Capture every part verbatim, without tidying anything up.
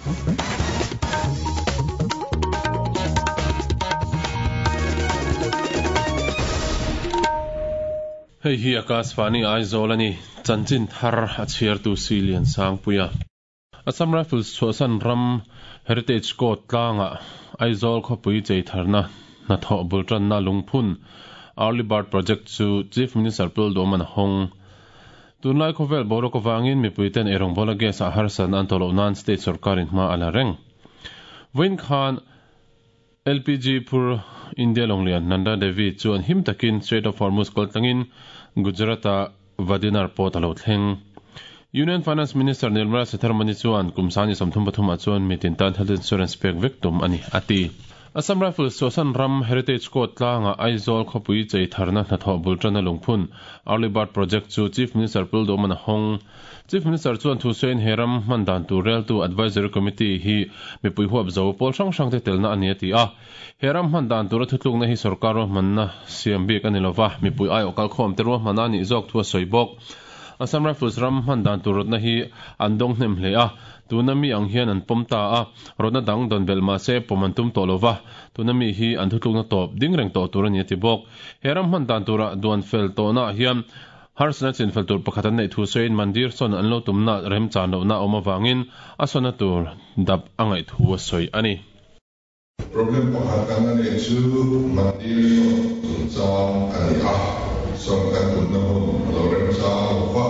Hei hi Akashvani Aizawl ani chanchin thar a chhiar tu Silian Sangpuia. Assam Rifles chhuahsan ram Heritage Court tlanga Aizawl khawpui chei tharna hnathawh bul tanna lungphun Early Bird Project chu Chief Minister Pul Doman hong. Tunlai khawvel boruak awangin mipuiten eirawng bawla gas ah harsan an tawh loh nan state sorkarin hma a la reng. Vawiin khan L P G phur India Longlian Nanda Devi chuan him takin Strait of Hormuz kal tlangin Gujarat-a Vadinar port a lo thleng. Union Finance Minister Nirmala Sitharaman chuan kum sani sawmthum pathum ah chuan mitin tan health insurance pek vek tum a ni a ti. Assam Rifles chhuahsan ram Heritage Court tlanga Aizawl khawpui chei tharna hnathawh bul tana lungphun Early Bird Project chu Chief Minister Pul Doman a hawng. Chief Minister chuan thu sawiin he ram hman dan tur reltu Advisory Committee hi mipui huap zo pawl hrang hrang te telna a ni a ti a. He ram hman dan tura thutlukna hi sarkar ruahmanna siam bik a ni lova, mipui aiawh kalkhawm te ruahmanna a nih zawk thu a sawi bawk. Assam Rifles ram hman dan tur rawtna hi an dawng hnem hle a, tuna mi ang hian an pawm ta a, rawtna dang dawn belh mah se pawm an tum tawh lova, tuna mi hi an thutlukna tawp ding reng tawh tur a ni a ti bawk. He ram hman dan tura duan fel tawhnaah hian harsatna chin fel tur pakhat an neih thu sawiin mandir sawn an lo tumna remchan lohna a awm avangin a sawnna tur dap a ngaih thu a sawi a ni. Problem pakhat kan la neih chu mandir sawn chungchang a ni a, sawn kan tumna hmun a lo remchang lo va,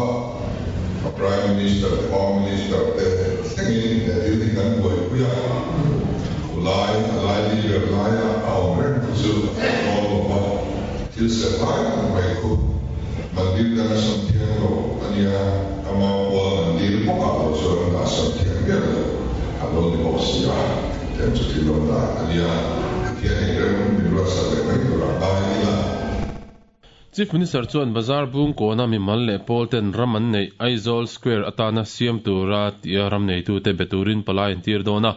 a Prime Minister te Home Minister te thlengin he thil hi kan buaipui a, khulai a laili ber laia a awm reng chu chu a fel dawn lo va, thil ser lai tak mai khu mandir danga sawn thiang lo a nia, ama pual mandir bawkah lo chuan an dah sawn thiang miah lo a lo ni bawk si a. Tiang chu thil awm dan a nia, Pathianin rem min ruatsak leh mai tur ang ngai ila. Chief Minister chuan bazar bung kawna mimal leh pawl ten ram an neih Aizawl Square atana siam tura tia ram neitute be turin palai an tir dawn a,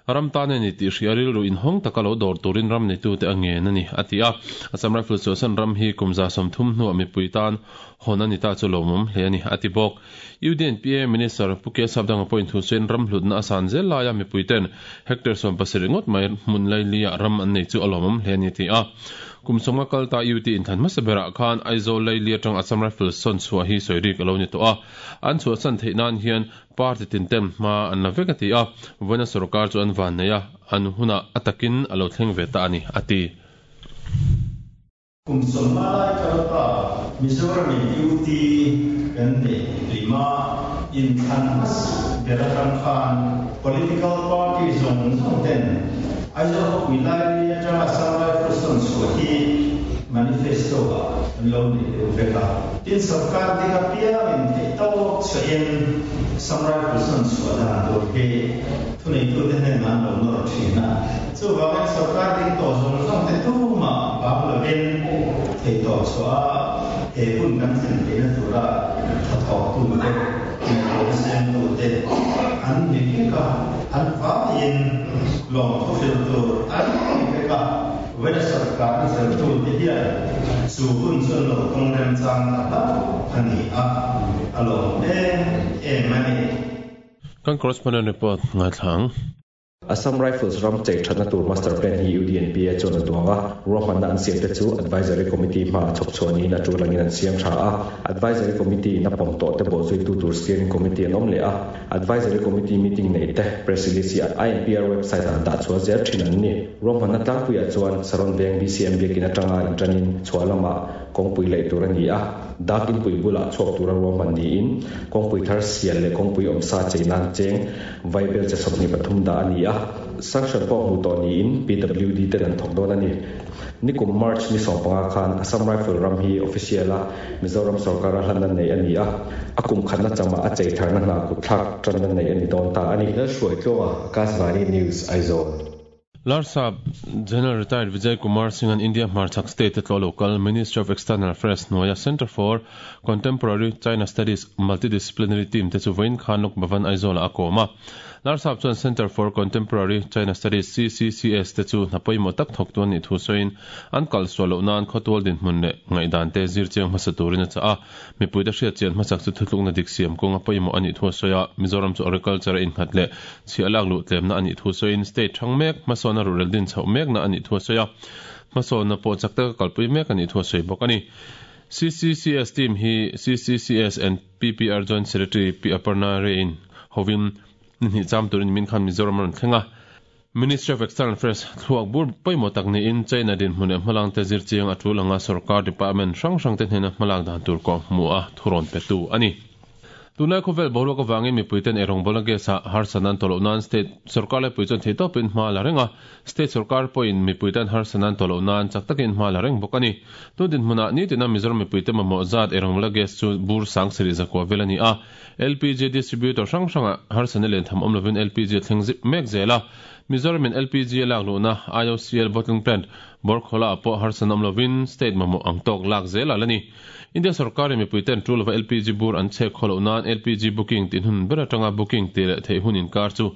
ram tan a ni tih hria rilru inhawng taka lo dawr turin ram neitute a ngen a ni, a ti a. Assam Rifles chhuahsan ram hi kum za sawmthum hnuah mipui tan hawn a ni ta chu lawmawm hle a ni, a ti bawk. U D N P A Minister Pu K Sapdanga pawhin thu sawiin ram hlutna a san zel laia mipuiten hectare sawm pasarih ngawt mai hmun lailiah ram an nei chu a lawmawm hle a ni, a ti a. Kum sawmnga kal ta U T inthlan hmasa berah khan Aizawl laili atang Assam Rifles sawn chhuah hi sawi rik a lo ni tawh a. An chhuahsan theih nan hian party tin ten hma an la vek a ti a. Vawiina sorkar chu an van nei a, an hunah a takin a lo thleng ve ta a ni, a ti. Kum sawmnga lai kal ta Mizoramin U T kan neih lima inthlan hmasa ber atang khan political party zawng zawng ten Aizawl khawpui laili atanga Assam Rifles sawn chhuah hi manifesto ah an lo nei deuh vek a. Tin, sarkar dik apiangin theih tawk chhuahin Assam Rifles sawn chhuah dan tur hi thuneitute hnenah an lo nawr thin a. Chuvangin sarkar ding tawh zawng zawng te tumah bang lovin theih tawk chhuah a he hun kan thlen theihna tura thathawktute, ngaihtuahna siamtute an ni vek a, an vaiin lawmthu hril tur an ni vek a. Vawiina sarkarna zirtute hian chu hun chu an lo tawng remchang ta hlauh a ni a, a lawm em em a ni. Kan correspondent report ngaithla ang. Assam Rifles ram chei thatna tur master plan hi U D N P A chuan a duang a, ruahmanna an siam te chu Advisory Committee hmaah chhawp chhuah niin a tul angin an siam tha a. Advisory Committee in a pawm tawh te bawhzuitu tur Steering Committee an awm leh a. Advisory Committee meeting neih te press release hi I N P R website ah dah chhuah zel thin an ni. Ruahmanna tlangpuiah chuan Saron Veng B C M biakin atanga intanin chhuah lamah kawngpui laih tur a ni a. Dak inpui bulah chhuak tura ruahman niin kawngpui thar sial leh kawngpui awmsa chei nan cheng vaibel che sawmhnih pathum dah a ni a. Sanction pawh hmuh tawh niin P W D ten an thawk dawn a ni. Nikum March ni sawm panga khan Assam Rifle ram hi official a Mizoram sorkara hlanna nei a ni a. A kum khatna chamah a chei tharna hna kut thlak tanna nei a ni dawn ta a ni. Lalhruai Tluanga, Akashvani News, Aizawl. Larsap General Retired Vijay Kumar Singh an India hmarchhak state te tlawh local Ministry of External Affairs hnuaia Centre for Contemporary China Studies Multidisciplinary Team te chu vawiin khan Lok Bhavan Aizawl ah a kawm a. Larsap chuan Centre for Contemporary China Studies C C C S te chu hna pawimawh tak thawk tu an nih thu sawiin an kal sual loh nan khawtual dinhmun leh ngaihdan te zir chiang hmasa turin a chah a. Mipuite hriat chian hmasak chu thutlukna dik siam kawnga pawimawh a nih thu a sawi a. Mizoram chu agriculture a innghat leh chhiah lak luh tlemna a nih thu sawiin state thang mek hmasawn a ruhrel din chhoh mekna a nih thu a sawi a. Hmasawnna pawh chak taka kalpui mek a nih thu a sawi bawk a ni. C C C S team hi C C C S and P P R Joint Secretary Pi Aparna Ray-in hovin ni hnih cham turin min khan Mizoram a rawn thleng a. Ministry of External Affairs thluak bur pawimawh tak niin China dinhmun leh hmalangte zir chiang a tul anga sorkar department hrang hrangte hnena hmalak dan tur kawh hmuh a thurawn petu a ni. Tunlai khawvel boruak avangin mipuiten eirawngbawlna gas ah harsatna an tawh loh nan state sorkar laipui chuan thei tawpin hma la reng a, state sorkar pawhin mipuiten harsatna an tawh loh nan chak takin hma la reng bawk a ni. Tun dinhmunah nitina Mizoram mipuite mamawh zat eirawngbawlna gas chu bur sang sarih zakua vel a ni a, L P G distributor hrang hrangah harsatna len tham awm lovin L P G a thleng zip mek zel a, Mizoramin L P G a lak luhna I O C L bottling plant Borkhola ah pawh harsatna awm lovin state mamawh ang tawk lak zel a la ni. India sorkarin mipuiten tul lova L P G bur an chhek khaw loh nan L P G booking tih hun ber atanga booking tih leh theih hun inkar chu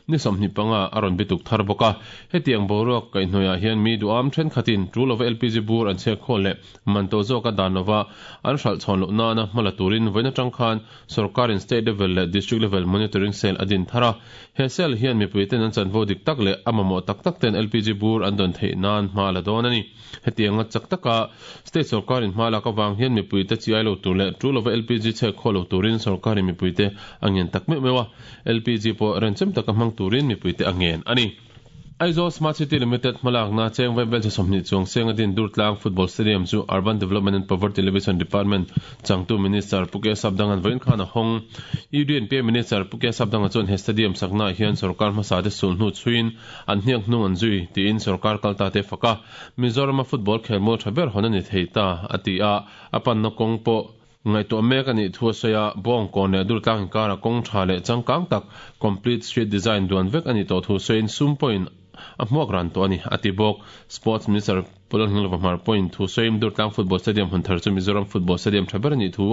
ni sawmhnih panga a rawn bituk thar bawk a. Hetiang boruak kaihhnawihah hian mi duham thenkhatin tul lova L P G bur an chhek khaw leh man to zawka dan lova an hralh chhawn loh nana hma la turin vawiin atang khan sorkarin state level leh district level monitoring cell a din thar a. He cell hian mipuiten an chanvo dik tak leh a mamawh tak tak ten L P G bur an dawn theih nan hma la dawn a ni. Hetianga chak taka state sorkarin hma lak avang hian mipuite chi ai lo tur leh tul lova L P G chhek khaw lo turin sorkarin mipuite a ngen tak meuh meuh a. L P G pawh renchem taka hmang turin mipuite a ngen a ni. Aizawl Smart City Limited hmalakna cheng vaibel che sawmhnih chuang seng a din Durtlang Football Stadium chu Urban Development and Poverty Alleviation Department changtu Minister Pu K Sapdanga'n vawiin khan a hawng. U D N P A Minister Pu K Sapdanga chuan he stadium saknaah hian sorkar hmasa te sulhnu chhuiin an hniak hnung an zui tiin sorkar kalta te fak a. Mizorama football khelmual tha ber hawn a ni thei ta a ti a, a panna kawng pawh ngaihtuah mek a nih thu a sawi a, Bawngkawn leh Durtlang inkara kawng tha leh changkang tak complete street design duan vek a nih tawh thu sawiin sum pawhin a hmuak ran tawh a ni a ti bawk. Sports Minister Pu Lalngilova Hmar pawhin thu sawiin Durtlang Football Stadium hun thar chu Mizoram Football Stadium tha ber a nih thu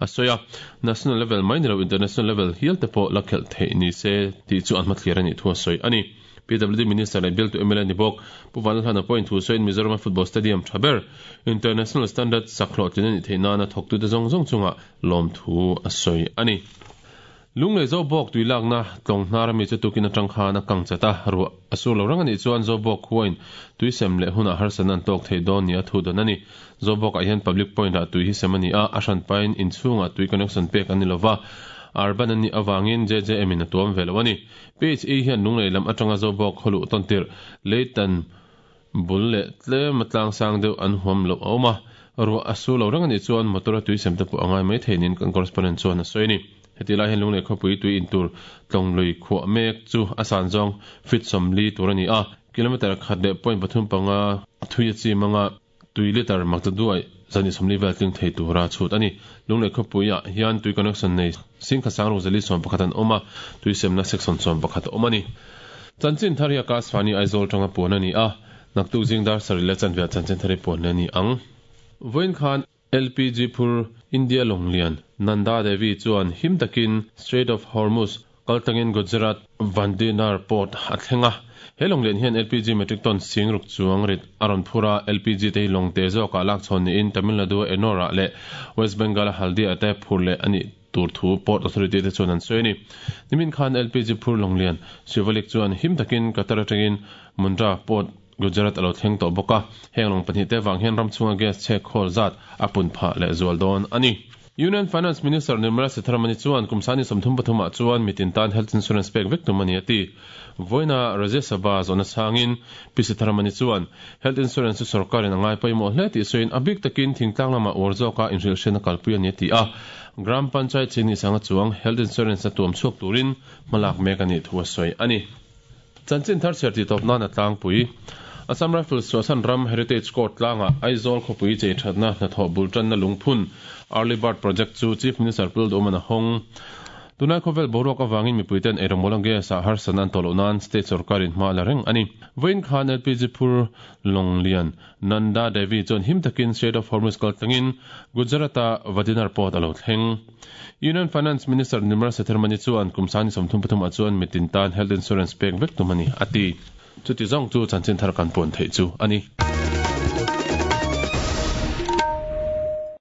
a sawi a, national level mai ni lo international level hial te pawh la khelh theih ni se tih chu an hmathlir a nih thu a sawi a ni. P W D Minister leh bialtu M L A ni bawk Pu Vanlalhlana pawhin thu sawiin Mizoram Football Stadium tha ber international standard sak hlawhtlin a nih theih nana thawktute zawng zawng chunga lawm thu a sawi a ni. Lunglei Zobawk tui lakna tlawng hnar ami chu tukin atang khan a kang chat a, ruah a sur lo reng a nih chuan Zobawk khuain tui sem leh hunah harsatna an tawk thei dawn ni a thu dawn a ni. Zobawkah hian public point ah tui hi sem a ni a, a hran pain inchhungah tui connection pek an ni lova, urban an nih avangin J J M in a tuam ve lo a ni. P H E hian lunglei lam atanga Zobawk khawluh tawn tirh leitan bul leh tlem a tlang sang deuh an huam loh a awm a, ruah a sur lo reng a nih chuan motor a tui sem te pawh a ngai mai thei niin kan correspondent chuan a sawi a ni. Heti lai hian lunglei khawpui tui intur tlawng lui khuah mek chu a san zawng feet sawmli tur a ni a, kilometer khat leh point pathum panga thui a chim anga tui liter mak ta duai zani sawmli vel tling thei tura chhut a ni. Lunglei khawpuiah hian tui connection nei singkha sang ruk zali sawm pakhat an awm a, tui semna section sawm pakhat a awm a ni. Chanchin thar hi Akashvani Aizawl tanga puan a ni a, naktuk zingdar sarih leh chanveah chanchin thar hi puan leh a ni ang. Vawiin khan L P G phur India Longlian Nanda Devi chuan him takin Strait of Hormuz kaltangin Gujarat Vadinar Port a thleng a. He Longlian hian L P G metric ton sing ruk chuang rit a rawn phur a, L P G te hi lawng te zawkah lak chhawn niin Tamil Nadu a Ennore leh West Bengal a Haldia te phur leh a nih tur thu Port Authority te chuan an sawi a ni. Nimin khan L P G phur Longlian Shivalik chuan him takin Qatar atangin Mundra Port Gujarat a lo thleng tawh bawk a, heng lawng pahnih te vang hian ram chhunga gas chhek khawl zat a pun phah leh zual dawn a ni. Union Finance Minister Nirmala Sitharaman chuan kum sani sawmthum pathumah chuan mitin tan health insurance pek vek tum a ni a ti. Vawiina Rajya Sabha zawhna changin Pi Sitharaman chuan health insurance chu sorkarin a ngai pawimawh hle tih sawiin a bik takin thingtlang lamah uar zawka inhrilhhriatna kalpui a ni a ti a. Gram Panchayat chingni sanga chuang health insurance a tuam chhuak turin hmalak mek a nih thu a sawi a ni. Chanchin thar chhiar tih tawp nan a tlangpui. Assam Rifles Suasan Ram Heritage Court tlanga Aizawl khawpui chei thatna hnathawh bul tanna lungphun Early Bird Project chu Chief Minister Pu Lalduhman a hawng. Tunai khawvel boruak awangin mipuiten eirawngbawl gas a harsan an tawh loh nan state sorkarin hma la reng ani. Vawiin khan L P G phur Longlian Nanda Devi chuan him takin Strait of Hormuz kaltlangin Gujarat-a Vadinar port a lo thleng. Union Finance Minister Nirmala Sitharaman chuan kum sani sawmthum pathum ah chuan mitin tan health insurance pek vek tum ani ati. Chuti zawng chu chanchin thar kan puan theih chu ani.